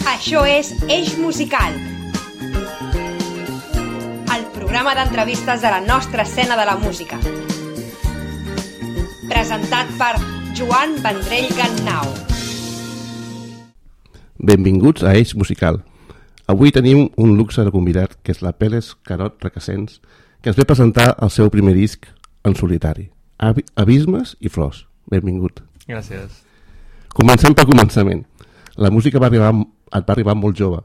Això és Eix Musical, el programa d'entrevistes de la nostra escena de la música. Presentat per Joan Vendrell Gannau. Benvinguts a Eix Musical. Avui tenim un luxe de convidat, que és la Pérez Carot Requesens, que ens ve presentar el seu primer disc en solitari, Abismes i Flors. Benvingut. Gràcies. Comencem pel començament. La música et va arribar molt jove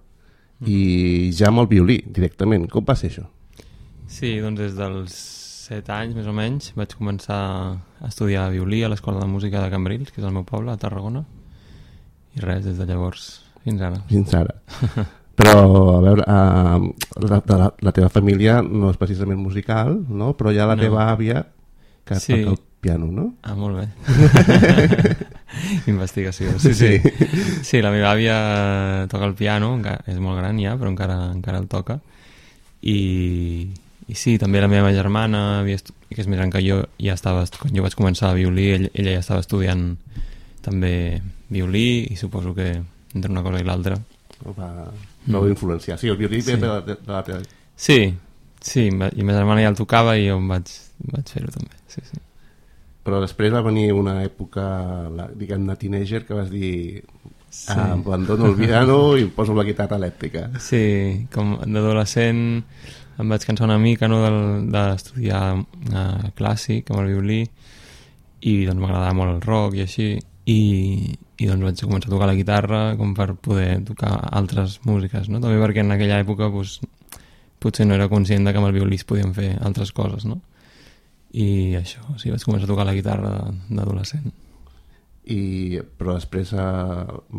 i ja amb el violí directament. Com va ser això? Sí, doncs des dels 7 anys més o menys vaig començar a estudiar violí a l'Escola de Música de Cambrils, que és el meu poble, a Tarragona, i res, des de llavors fins ara. Fins ara. Però, a veure, la teva família no és precisament musical, no? Però hi ha la teva àvia que toca el piano, no? Ah, molt bé. Investigació. Sí, la meva àvia toca el piano, és molt gran ja, però encara el toca. I sí, també la meva germana, que és més gran que jo, quan jo vaig començar a violí, ella ja estava estudiant també violí, i suposo que entre una cosa i l'altra va influenciar. Sí, el violí ve de la teva... Sí, i ma germana ja el tocava i jo vaig fer-ho també, sí. Però després va venir una època, diguem-ne, teenager, que vas dir abandono el piano i em poso la guitarra elèctrica. Sí, com d'adolescent em vaig cansar una mica, no, d'estudiar clàssic amb el violí, i doncs m'agradava molt el rock i així, i doncs vaig començar a tocar la guitarra com per poder tocar altres músiques, no? També perquè en aquella època potser no era conscient que amb el violí es podien fer altres coses, no? I això, sí, vaig començar a tocar la guitarra d'adolescent. Però després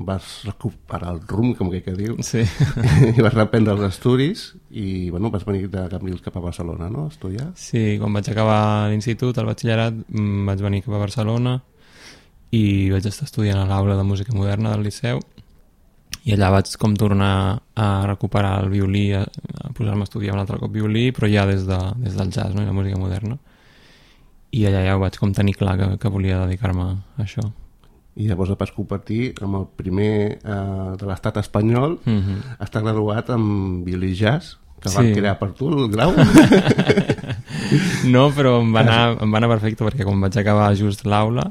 vas recuperar el rumb, com que diu, sí. I vas reprendre els estudis i vas venir de Cambrils cap a Barcelona, no? A estudiar. Sí, quan vaig acabar l'institut, el batxillerat, vaig venir cap a Barcelona i vaig estar estudiant a l'aula de música moderna del Liceu, i allà vaig com tornar a recuperar el violí, a posar-me a estudiar un altre cop violí, però ja des del jazz, no? I la música moderna. I allà ja ho vaig com tenir clar que volia dedicar-me a això. I llavors et vas convertir en el primer de l'estat espanyol a estar graduat amb violí jazz, que van crear per tu el grau. No, però em va anar perfecte, perquè quan vaig acabar just l'aula,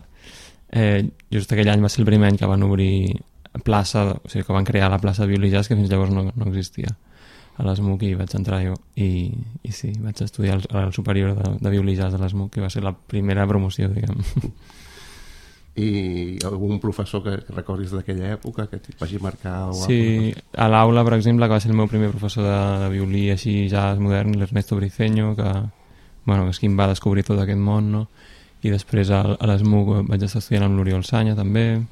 just aquell any va ser el primer any que van obrir plaça, o sigui que van crear la plaça de violí jazz, que fins llavors no existia a l'ESMUC, i vaig entrar jo i sí, vaig estudiar al superior de violí jazz de l'ESMUC, que va ser la primera promoció, diguem. I algun professor que recordis d'aquella època que et vagi marcar? Sí, a l'aula, per exemple, que va ser el meu primer professor de violí així jazz modern, l'Ernesto Briceño, que és qui em va descobrir tot aquest món, no? I després a l'ESMUC vaig estar estudiant amb l'Oriol Sanya també,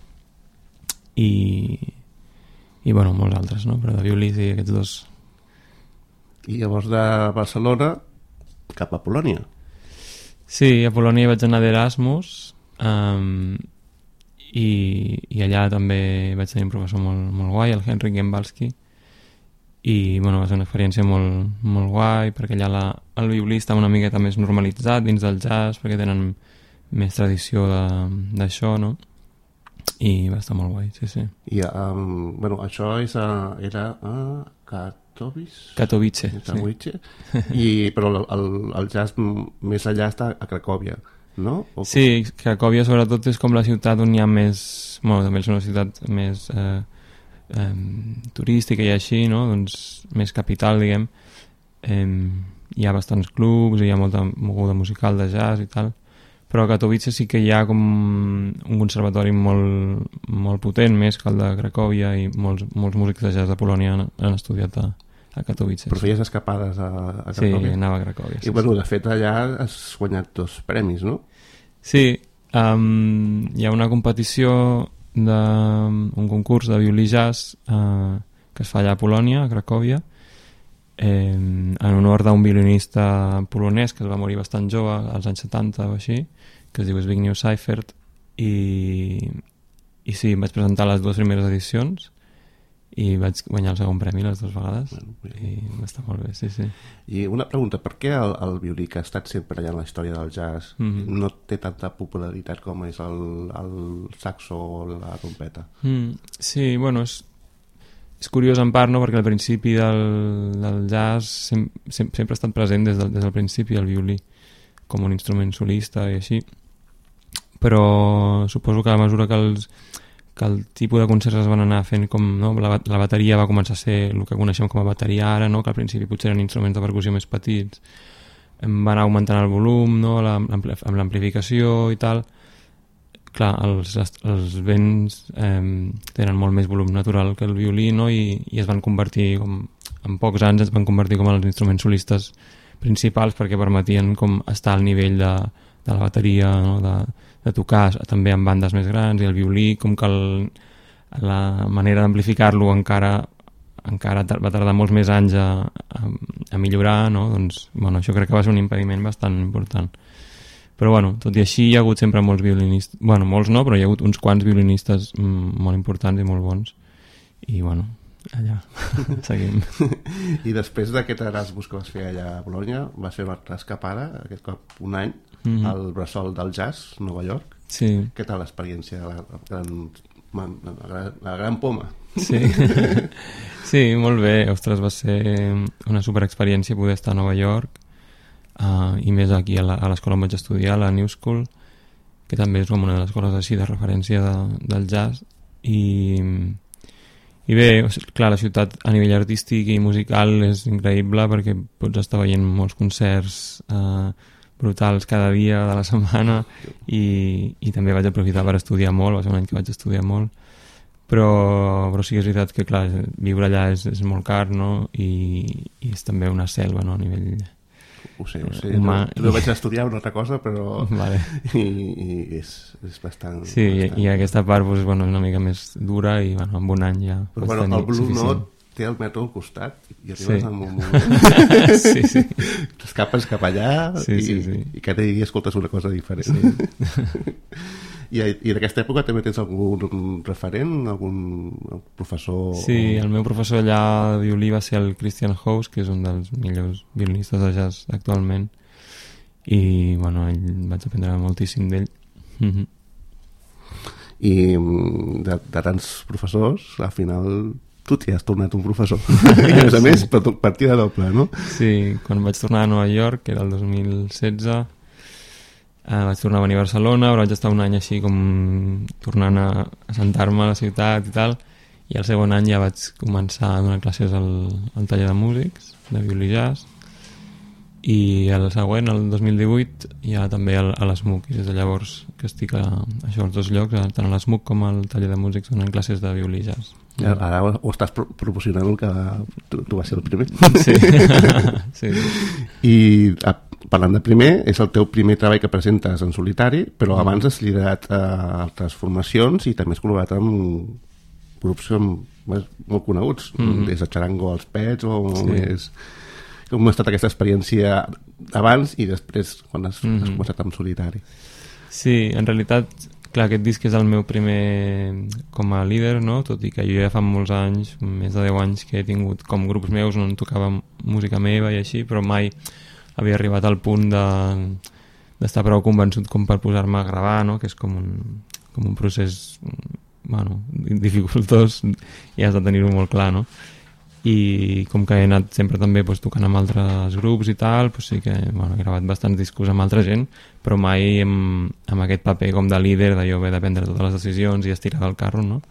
i molts altres, no? Però de violí, sí, aquests dos. I llavors de Barcelona cap a Polònia? Sí, a Polònia vaig anar d'Erasmus, i allà també vaig tenir un professor molt guai, el Henryk Gembalski, i va ser una experiència molt, molt guai, perquè allà el violí està una miqueta més normalitzat dins del jazz, perquè tenen més tradició d'això, no? I va estar molt guai, sí. I això era a Katowice. Sí. Però el jazz més allà està a Cracòvia, no? Sí, Cracòvia sobretot és com la ciutat on hi ha més... també és una ciutat més turística i així, no? Doncs més capital, diguem. Hi ha bastants clubs, hi ha molta moguda musical de jazz i tal, però a Katowice sí que hi ha com un conservatori molt, molt potent, més que el de Cracòvia, i molts músics de jazz de Polònia han estudiat a Katowice. Però feies escapades a Cracòvia? Sí, anava a Cracòvia. I de fet allà has guanyat 2 premis, no? Sí, hi ha una competició un concurs de violí jazz que es fa allà a Polònia, a Cracòvia, en honor d'un violinista polonès que es va morir bastant jove, als anys 70 o així, que es diu Zbigniew Seifert, i sí, em vaig presentar a les 2 primeres edicions i vaig guanyar el segon premi les 2 vegades. I va estar molt bé, sí. I una pregunta, per què el violí, que ha estat sempre allà en la història del jazz, no té tanta popularitat com és el saxo o la trompeta? Sí, bueno, és curiós en part, no? Perquè al principi del jazz sempre ha estat present des del principi el violí, com un instrument solista i així, però suposo que a mesura que el tipus de concerts es van anar fent com, no? La bateria va començar a ser el que coneixem com a bateria ara, no? Que al principi potser eren instruments de percussió més petits, van anar augmentant el volum, no? Amb l'amplificació i tal. Clar, els vents tenen molt més volum natural que el violí, no? I es van convertir, en pocs anys es van convertir com els instruments solistes principals perquè permetien com estar al nivell de la bateria, no? De tocar també en bandes més grans, i el violí com que la manera d'amplificar-lo encara va tardar molts més anys a millorar, no? Doncs, bueno, això crec que va ser un impediment bastant important. Però bueno, tot i així hi ha hagut sempre molts violinistes, bueno, molts no, però hi ha hagut uns quants violinistes molt importants i molt bons, i bueno, allà seguim. I després d'aquest Erasmus que vas fer allà a Bologna, vas fer una altra escapada, aquest cop un any, al Bressol del Jazz, Nova York. Sí. Què tal l'experiència de la gran poma? Sí. Sí, molt bé. Ostres, va ser una superexperiència poder estar a Nova York, i més aquí a l'escola on vaig estudiar, la New School, que també és com una de les escoles així de referència del jazz, i bé, clar, la ciutat a nivell artístic i musical és increïble perquè pots estar veient molts concerts brutals cada dia de la setmana, i també vaig aprofitar per estudiar molt, va ser un any que vaig estudiar molt, però sí que és veritat que clar, viure allà és molt car, no? I és també una selva, no? A nivell ho sé, humà, no vaig estudiar una altra cosa, però vale. i és bastant... Sí, bastant... i aquesta part doncs, bueno, és una mica més dura, i bueno, en un any ja però bueno, el Blue Note té el metro al costat i arribes en un moment sí. t'escapes cap allà i cada dia escoltes una cosa diferent. Sí. I d'aquesta època també tens algun referent, algun professor? Sí, el meu professor allà de violí va ser el Christian Haus, que és un dels millors violinistes de jazz actualment, i bueno, vaig aprendre moltíssim d'ell. I de tants professors, al final tu t'hi has tornat un professor i a més per partida doble, no? Sí, quan vaig tornar a Nova York, que era el 2016, vaig tornar a venir a Barcelona, però vaig estar un any així com tornant a assentar-me a la ciutat i tal, i el segon any ja vaig començar a donar classes al taller de músics, de violí jazz, i el següent, el 2018, ja també a l'ESMUC, i des de llavors que estic a això, als dos llocs, tant a l'ESMUC com al taller de músics, donant classes de violí jazz. Ara ho estàs proporcionant el que tu vas ser el primer. Sí. Sí. I parlant de primer, és el teu primer treball que presentes en solitari, però abans has liderat altres formacions i també has col·laborat amb grups molt coneguts, des de Charango als Pets o més... Com ha estat aquesta experiència abans i després quan has començat en solitari? Sí, en realitat, clar, aquest disc és el meu primer com a líder, no? Tot i que jo ja fa molts anys, més de 10 anys, que he tingut com grups meus on tocava música meva i així, però mai havia arribat al punt d'estar prou convençut com per posar-me a gravar, no? Que és com un procés bueno, dificultós i has de tenir-ho molt clar, no? I com que he anat sempre també tocant amb altres grups i tal, sí que he gravat bastants discos amb altra gent, però mai amb aquest paper com de líder, de jo haver de prendre totes les decisions i estirar del carro, no?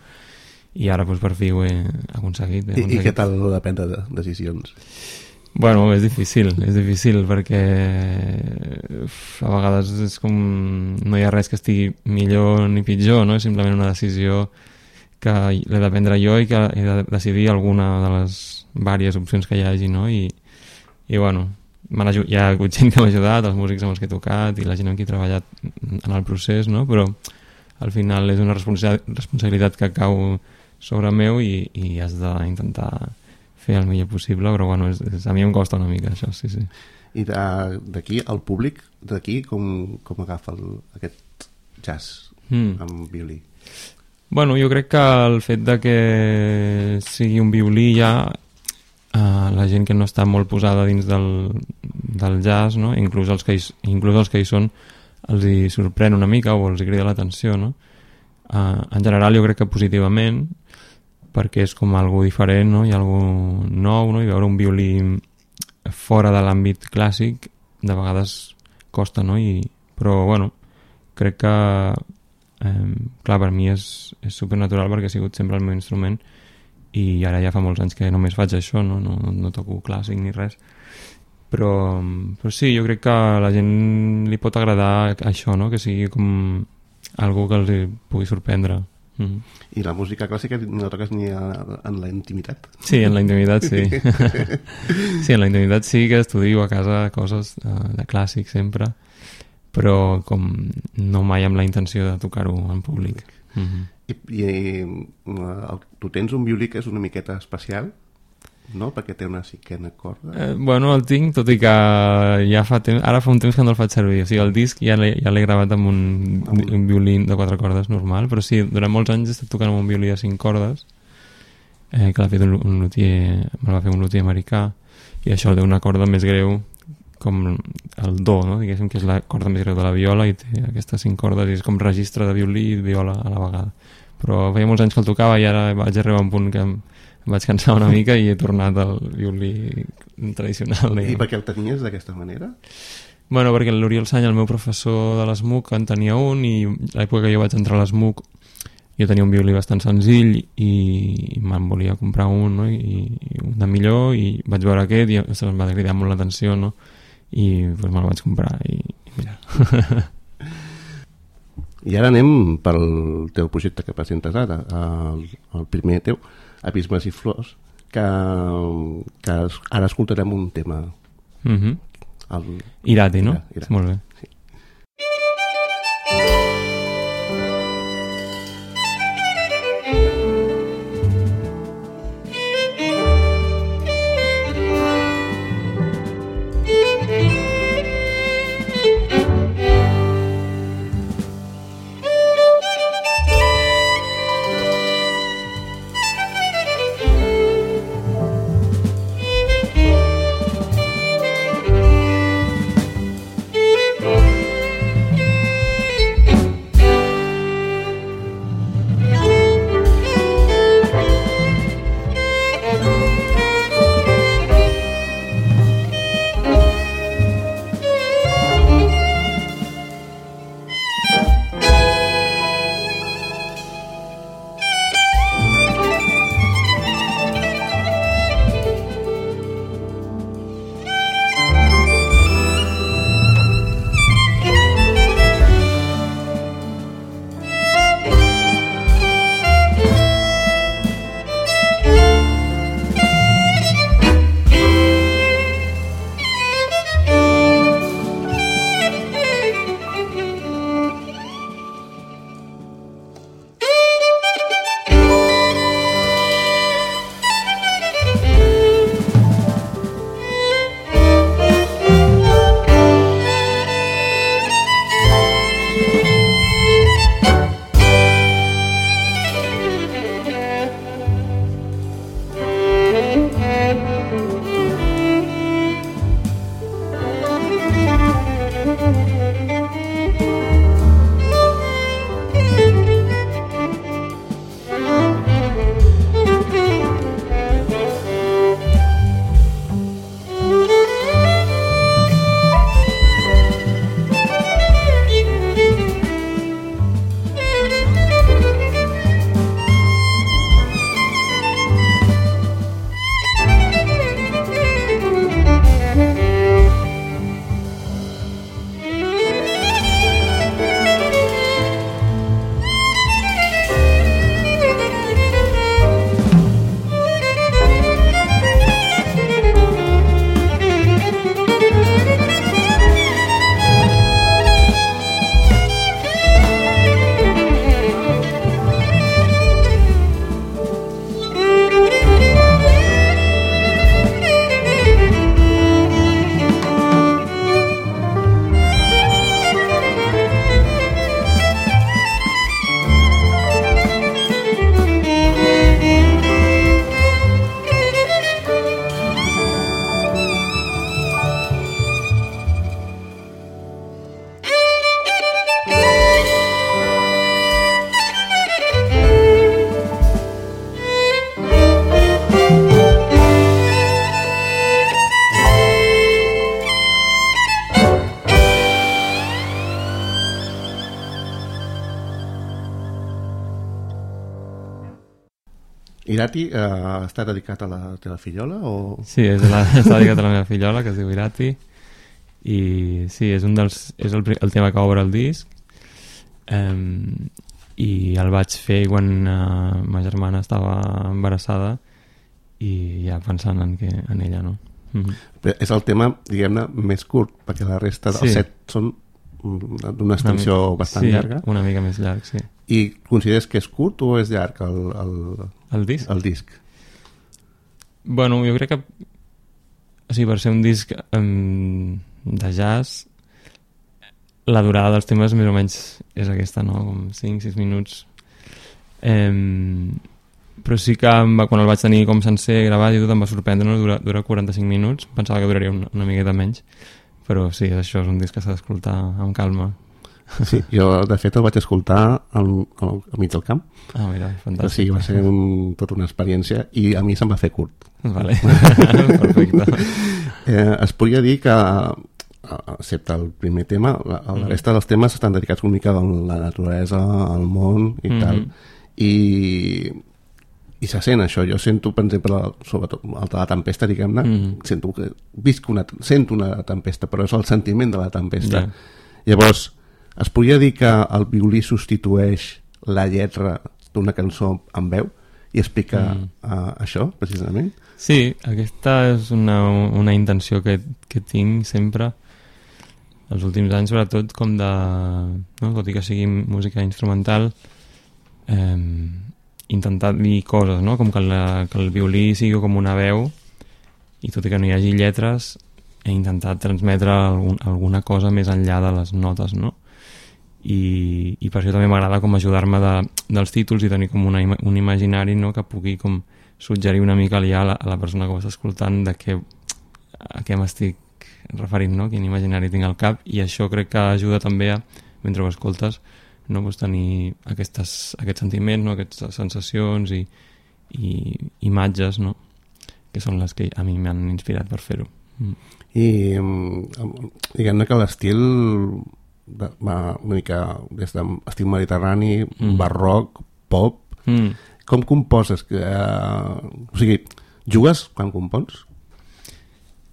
I ara per fi ho he aconseguit. I què tal de prendre decisions? Bueno, és difícil perquè a vegades és com no hi ha res que estigui millor ni pitjor, no? És simplement una decisió que l'he de prendre jo i que he de decidir alguna de les diverses opcions que hi hagi, no? I bueno, hi ha hagut gent que m'ha ajudat, els músics amb els que he tocat i la gent amb qui he treballat en el procés, no? Però al final és una responsabilitat que cau sobre meu i has d'intentar fer el millor possible, però bueno, a mi em costa una mica això, sí. I d'aquí, el públic d'aquí, com agafa aquest jazz amb violí? Bueno, jo crec que el fet de que sigui un violí ja la gent que no està molt posada dins del jazz, no? inclús els que hi són els hi sorprèn una mica o els hi crida l'atenció, no? En general jo crec que positivament, perquè és com algo diferent, no? I algo nou, no? I veure un violí fora de l'àmbit clàssic de vegades costa, no? Però bueno, crec que clar, per mi és supernatural perquè ha sigut sempre el meu instrument i ara ja fa molts anys que només faig això, no toco clàssic ni res, però sí, jo crec que a la gent li pot agradar això, no? Que sigui com algo que els pugui sorprendre. I la música clàssica no la toques ni en la intimitat? Sí, en la intimitat sí. Sí, en la intimitat sí que estudio a casa coses de clàssic sempre, però com no mai amb la intenció de tocar-ho en públic. Tu tens un violí que és una miqueta especial, no? Perquè té una cinquena corda. Bueno, el tinc, tot i que ja fa temps, ara fa un temps que no el faig servir, o sigui, el disc ja l'he gravat amb un violí de 4 cordes normal, però sí, durant molts anys he estat tocant amb un violí de 5 cordes, que l'ha fet un luthier, me'l va fer un luthier americà, i això té una corda més greu, com el do, no? Diguéssim que és la corda més greu de la viola i té aquestes 5 cordes i és com registre de violí i viola a la vegada. Però feia molts anys que el tocava i ara vaig arribar a un punt que em vaig cansar una mica i he tornat al violí tradicional. I per què el tenies d'aquesta manera? Bueno, perquè l'Oriol Sany, el meu professor de l'ESMUC, en tenia un i l'època que jo vaig entrar a l'ESMUC jo tenia un violí bastant senzill i me'n volia comprar un, no? I un de millor i vaig veure aquest i em va cridar molt l'atenció, no? I pues, me'l vaig comprar i mira. I ara anem pel teu projecte que presentes ara, el primer teu, Abismes i Flors, que ara escoltarem un tema. Irati, no? Irati. Molt bé. Sí. Irati està dedicat a la teva fillola o...? Sí, està dedicat a la meva fillola, que es diu Irati, i sí, és el tema que obre el disc, i el vaig fer quan ma germana estava embarassada i ja pensant en ella, no? Però és el tema, diguem-ne, més curt, perquè la resta dels 7 són d'una extensió bastant llarga. Sí, una mica més llarg, sí. I consideres que és curt o és llarg el disc? El disc. Bueno, jo crec que o sigui, per ser un disc de jazz, la durada dels temes més o menys és aquesta, no? Com 5-6 minuts. Però sí que quan el vaig tenir com sencer gravat i tot em va sorprendre, no? Dura 45 minuts, pensava que duraria una miqueta menys, però sí, això és un disc que s'ha d'escoltar amb calma. Sí, jo de fet el vaig escoltar al mig del camp. Ah, mira, fantàstic. Sí, va ser tota una experiència i a mi se'm va fer curt. Vale, perfecte. Es podria dir que, excepte el primer tema, la resta dels temes estan dedicats una mica a la naturalesa, al món i tal. I se sent això. Jo sento, per exemple, sobretot el de la tempesta, diguem-ne, sento una tempesta, però és el sentiment de la tempesta. Llavors, es podria dir que el violí substitueix la lletra d'una cançó amb veu i explica això, precisament? Sí, aquesta és una intenció que tinc sempre els últims anys, sobretot com de, no? Tot i que sigui música instrumental, intentar dir coses, no? Com que el violí sigui com una veu i tot i que no hi hagi lletres he intentat transmetre alguna cosa més enllà de les notes, no? I per això també m'agrada com ajudar-me dels títols i tenir com un imaginari, no? Que pugui com suggerir una mica ja a la persona que ho està escoltant a què m'estic referint, no? Quin imaginari tinc al cap, i això crec que ajuda també a, mentre ho escoltes, no? Pues tenir aquests sentiments, no? Aquestes sensacions i imatges, no? Que són les que a mi m'han inspirat per fer-ho. I diguem-ne que l'estil va una mica des d'estil mediterrani, barroc, pop. Com composes? O sigui, jugues quan compons?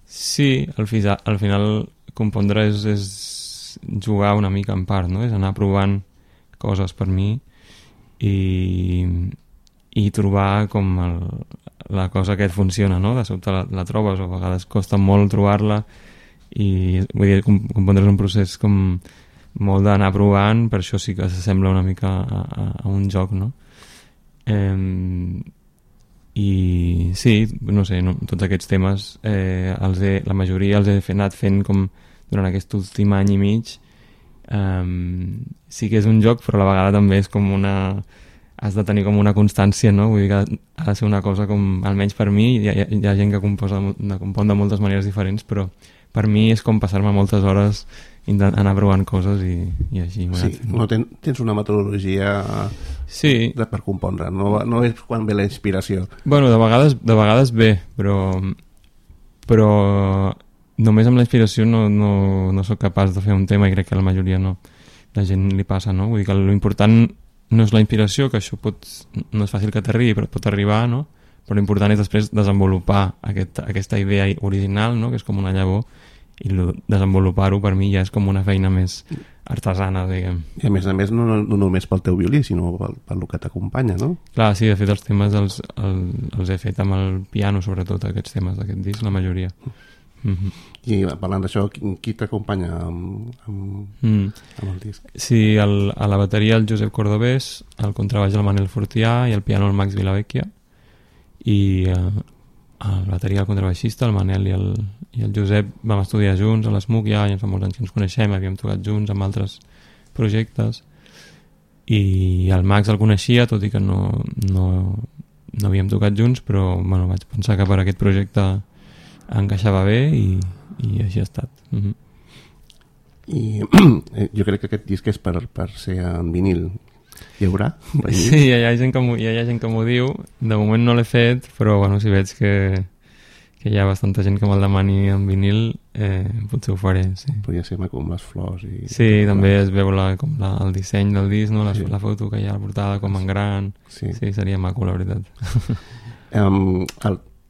Sí, al final compondre és jugar una mica en part, no? És anar provant coses per mi i trobar com la cosa que et funciona, no? De sobte la trobes, o a vegades costa molt trobar-la, i vull dir, compondre és un procés com molt d'anar provant, per això sí que s'assembla una mica a un joc, no? I sí, no sé, tots aquests temes la majoria els he anat fent com durant aquest últim any i mig. Sí que és un joc, però a la vegada també és com has de tenir com una constància, no? Vull dir que ha de ser una cosa com, almenys per mi, hi ha gent que compon de moltes maneres diferents, però per mi és com passar-me moltes hores anar provant coses i així. Sí, no tens una metodologia per compondre, no és quan ve la inspiració. Bueno, de vegades ve, però només amb la inspiració no soc capaç de fer un tema, i crec que a la majoria no, la gent li passa, no? Vull dir que l'important no és la inspiració, que això no és fàcil que t'arribi, però pot arribar, no? Però l'important és després desenvolupar aquesta idea original, no? Que és com una llavor, i desenvolupar-ho per mi ja és com una feina més artesana, diguem. I a més, no només pel teu violí, sinó pel que t'acompanya, no? Clar, sí, de fet els temes els he fet amb el piano, sobretot aquests temes d'aquest disc, la majoria. I parlant d'això, qui t'acompanya amb el disc? Sí, a la bateria el Josep Cordobés, al contrabaix el Manel Fortià i al piano el Max Vilavecchia, i a la bateria el contrabaixista, el Manel i el Josep vam estudiar junts a l'SMUC, ja fa molts anys que ens coneixem, havíem tocat junts amb altres projectes, i el Max el coneixia, tot i que no havíem tocat junts, però bueno, vaig pensar que per aquest projecte encaixava bé i així ha estat. I jo crec que aquest disc és per ser en vinil. Hi haurà? Sí, hi ha gent que m'ho diu. De moment no l'he fet, però bueno, si veig que hi ha bastanta gent que me'l demani en vinil, potser ho faré, sí. Podria ser maco amb les flors. Sí, també es veu el disseny del disc, no? La foto que hi ha a la portada com en gran. Sí, seria maco, la veritat.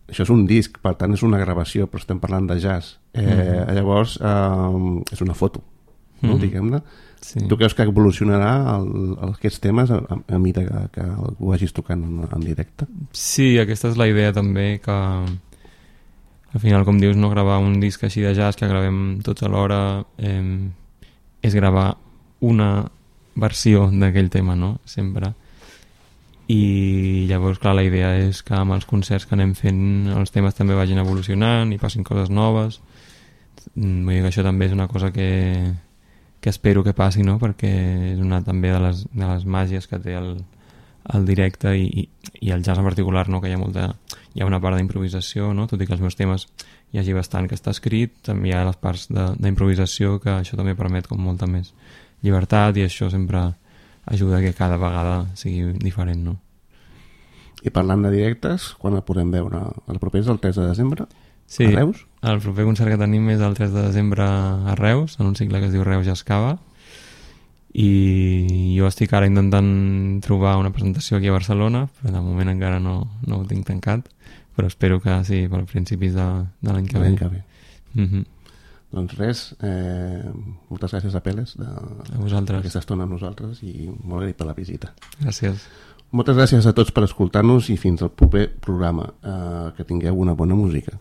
Això és un disc, per tant és una gravació, però estem parlant de jazz. Llavors és una foto, no? Diguem-ne. Sí. Tu creus que evolucionarà aquests temes a mesura que ho vagis tocant en directe? Sí, aquesta és la idea també, que al final, com dius, no gravar un disc així de jazz que gravem tots alhora, és gravar una versió d'aquell tema, no? Sempre. I llavors, clar, la idea és que amb els concerts que anem fent els temes també vagin evolucionant i passin coses noves. Vull dir que això també és una cosa que espero que passi, no? Perquè és una també de les màgies que té el directe i el jazz en particular, no? Que hi ha una part d'improvisació, no? Tot i que els meus temes hi hagi bastant que està escrit, també hi ha les parts d'improvisació, que això també permet com molta més llibertat, i això sempre ajuda que cada vegada sigui diferent, no? I parlant de directes, quan el podem veure? El proper és el 3 de desembre? Sí, a Reus? El proper concert que tenim és el 3 de desembre a Reus, en un cicle que es diu Reus ja Escava, i jo estic ara intentant trobar una presentació aquí a Barcelona, però de moment encara no ho tinc tancat, però espero que sí, per principis de l'any que ve. Doncs res, moltes gràcies a Peles d'aquesta estona amb nosaltres, i molt agraït per la visita. Gràcies. Moltes gràcies a tots per escoltar-nos, i fins al proper programa. Que tingueu una bona música.